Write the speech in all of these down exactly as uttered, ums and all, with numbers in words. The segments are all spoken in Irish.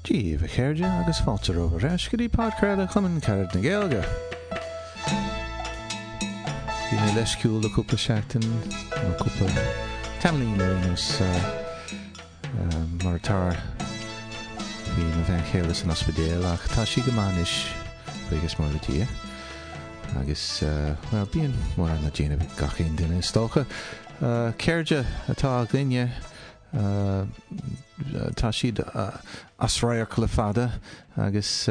Dia daoibh a chairde agus fáilte romhaibh ar ais go dtí podchraoladh Chumann Carad na Gaeilge. Bhí mé leisciúil le cúpla seachtain nó cúpla tamaillín ar aon nós mar atá bhí mo bhean chéile san ospidéal ach tá sí go maith anois buíochas mór le Dia. Agus bhuel bíonn mórán le déanamh ag gach aon duine is dócha. Cairde atá againne tá siad as radharc le fada agus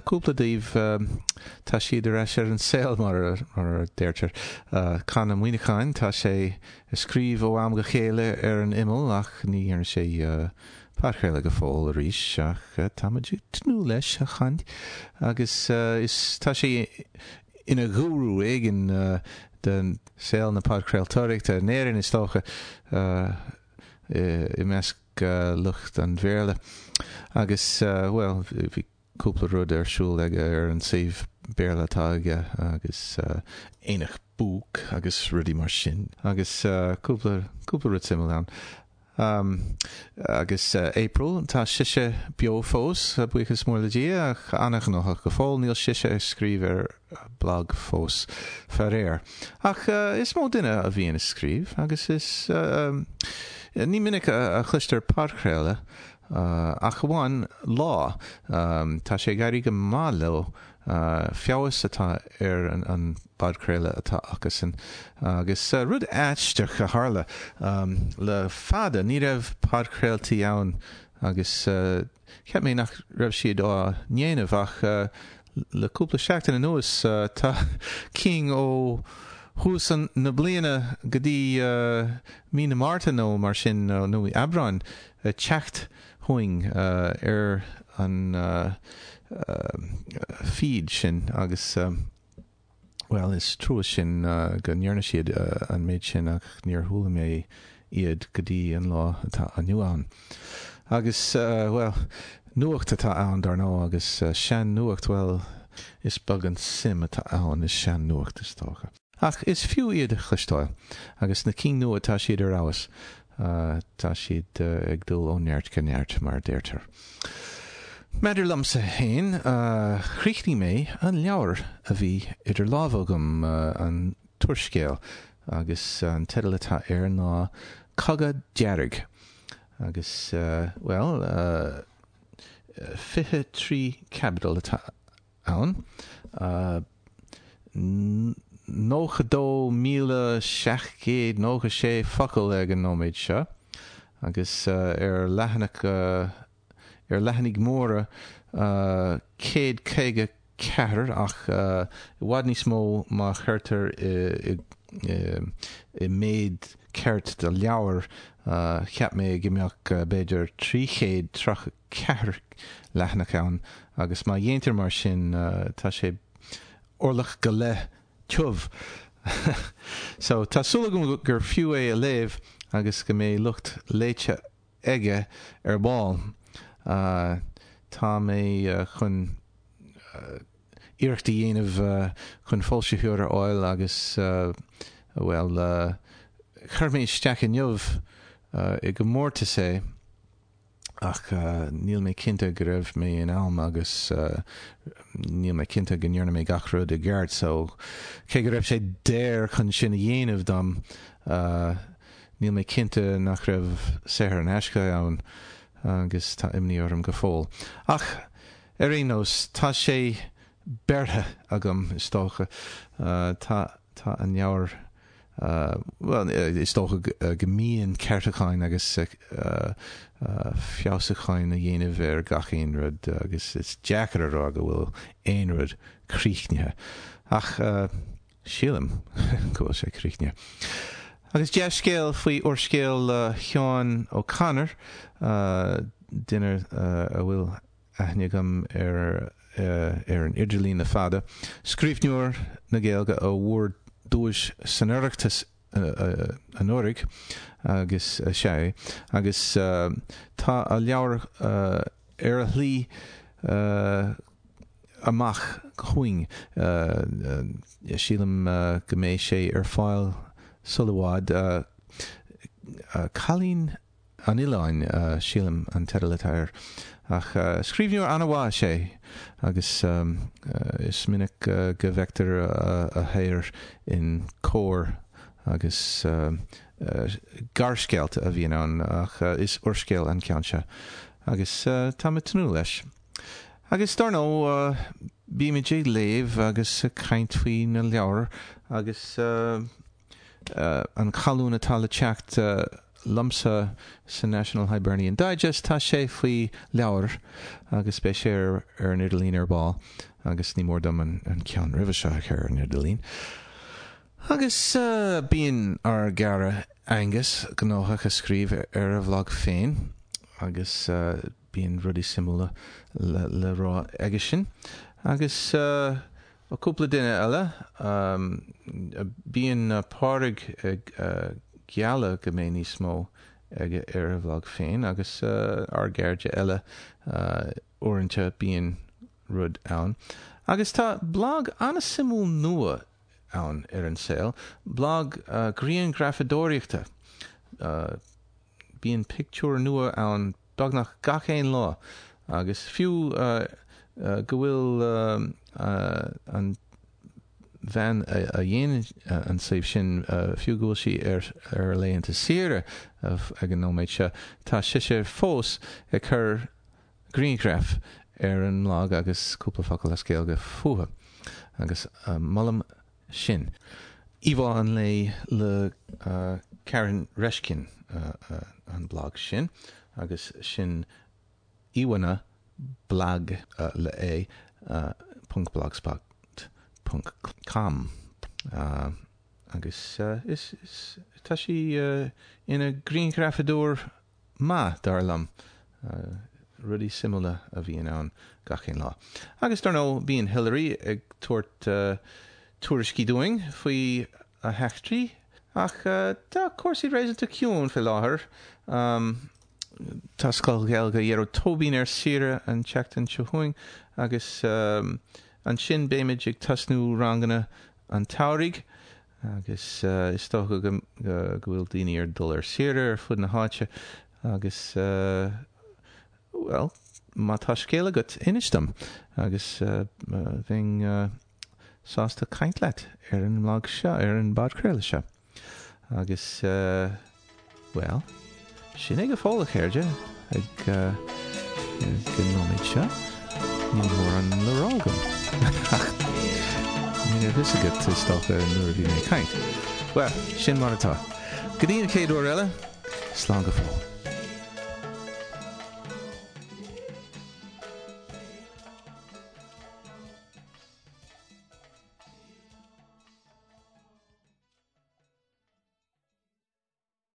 cúpla díobh tá siad ar ais ar an saol mar a deirtear. Con Ó Muíneacháin tá sé ag scríobh ó am go chéile ar an imeall ach ní dhearna sé podchraoladh go fóill arís ach táimid ag tnúth leis a Chon agus is tá sé ina ghúrú éigin den saol na podchraoltóireachta in Éirinn is dócha i measc lucht an Bhéarla. Agus bhuel bhí cúpla rud ar siúl aige ar an suíomh Béarla atá aige agus Aonach Book agus rudaí mar sin agus cúpla cúpla rud suimiúil ann. Um, agus uh, April tá sise beo fós buíochas mór le Dia ach an-ghnóthach go fóill níl sise ag scríobh ar blag fós faraor. Ach uh, is mó duine a bhíonn ag scríobh agus is uh, um, ní minic a, a chloistear podchraoladh uh, ach amháin lá um, tá sé ag éirí go maith leo uh, feabhas atá ar an, an bpodchraoladh atá acusan agus uh, rud aisteach a tharla um, le fada ní raibh podchraoltaí ann agus uh, cheap mé nach raibh siad á ndéanamh ach uh, le cúpla seachtain anuas uh, tá cinn ó thús an na bliana go dtí uh, mí na Márta nó mar sin uh, nó Aibreán uh, teacht chugainn uh, ar an uh, uh, feed sin agus um, well is trua sin uh, go ndearna siad uh, an méid sin ach níor chuala mé iad go dtí an lá atá inniu ann. Agus uh, well nuacht atá ann dar ndóigh agus uh, sean nuacht well is beag an suim atá ann is sean nuacht is dócha. Ach is fiú iad a chloisteáil agus na cinn nua tá siad ar fheabhas uh, tá siad uh, ag dul ó neart go neart mar deirtear. Maidir liomsa féin uh, chríochnaigh mé an leabhar a bhí idir lámha agam uh, an t-úrscéal agus an teideal atá air ná Cogadh Dearg. Agus uh, well uh, fiche trí caibidil atá ann. Uh, nócha dó míle seacht gcéad nócha sé focal ag an nóiméad seo, agus uh, ar leathanach uh, ar leathanaigh mhóra uh, céad caoga ceathair ach uh, i bhfad níos mó má chuirtear i, i, i, i méid ceart de leabhar uh, cheap mé go mbeadh uh, b'fhéidir trí chéad tríocha ceathair leathanach ann agus má dhéantar mar sin uh, tá sé orlach go leith tiubh. so tá súil agam gur fiú é a léamh agus go mbeidh lucht léite aige ar ball. Uh, tá mé uh, chun uh, iarracht a dhéanamh uh, chun foilsitheoir a fháil agus uh, well uh, chuir mé isteach inniu uh, i gcomórtas é ach uh, níl mé cinnte go raibh mé in am agus uh, níl mé cinnte go ndearna mé gach rud i gceart so cé go raibh sé daor chun sin a dhéanamh dom uh, níl mé cinnte nach raibh saothar in aisce ann agus tá imní orm go fóill. Ach ar aon nós tá sé bearrtha agam is dócha uh, tá tá an leabhar uh, well is dócha go mbíonn ceartúcháin agus uh, uh, feabhsúcháin a dhéanamh ar gach aon rud agus is deacair a rá go bhfuil aon rud críochnaithe. Ach uh, sílim go bhfuil sé críochnaithe. Agus dea-scéal faoi úrscéal uh, Sheáin O'Connor, uh, duine uh, a bhfuil aithne agam ar uh, ar an idirlíon le fada. Scríbhneoir na Gaeilge a bhfuair duais san Oireachtas uh, uh, anuraidh agus uh, sé agus uh, tá a leabhar uh, ar a shlí uh, amach chugainn uh, uh, sílim uh, go mbeidh sé ar fáil sula i bhfad uh, uh, Cailín an Oileáin, sílim, an teideal atá air. Ach scríbhneoir an-mhaith is ea é agus is minic go bhfeictear a shaothar in Comhar agus gearrscéalta a bhíonn ann ach is úrscéal an ceann seo agus táim ag tnúth leis. Agus dar ndóigh bímid ag léamh agus ag caint faoi na leabhair agus an colún atá le teacht liomsa sa National Hibernian Digest, tá sé faoi leabhair agus beidh sé ar an idirlíon ar ball agus ní mór dom an ceann roimhe seo a chur ar an idirlíon. Agus bíonn ár gcara Angus gnóthach ag scríobh ar a bhlag féin agus bíonn rudaí suimiúla le rá aige sin. Agus cúpla duine eile, bíonn Pádraig ag gealladh go mbeidh níos mó aige ar a bhlag féin agus ár gcairde eile uaireanta bíonn rud ann. Agus tá blag an-suimiúil nua ann ar an saol, blag grianghrafadóireachta. Bíonn pictiúr nua ann beagnach gach aon lá agus fiú go bhfuil an bhean a dhéanann an suíomh sin, fiú go bhfuil sí ar ar laethanta saoire ag an nóiméad seo, tá sise fós ag cur grianghraf ar an mblag agus cúpla focal as Gaeilge fúthu. Agus molaim sin. Íomhá an lae le Karen Reshkin an blag sin agus sin íomhánna blag le A ponc blogspot ponc com agus is is tá sí ina grianghrafadóir maith dar liom. Rudaí suimiúla a bhíonn ann gach aon lá. Agus dar ndóigh bíonn Hilary ag tabhairt tuairiscí dúinn faoi a heachtraí ach tá cúrsaí réasúnta ciúin faoi láthair. Tá Scoil Ghaeilge Ghearóid Tóibín ar saoire an tseachtain seo chugainn agus ansin beimid ag tosnú ranganna an tsamhraidh agus is dócha go bhfuil daoine ar dul ar saoire ar fud na háite agus bhuel, má tá scéal agat, inis dom agus bheinn sásta caint leat ar an mblag seo, ar an bpodchraoladh seo. Agus, bhuel, sin é go fóill, a chairde, ag an nóiméad seo. Níl mórán le rá agam. Ach ní raibh fhios agat, is dócha, nuair a bhí mé ag caint. Bhuel, sin mar atá. Go dtí an chéad uair eile, slán go fóill.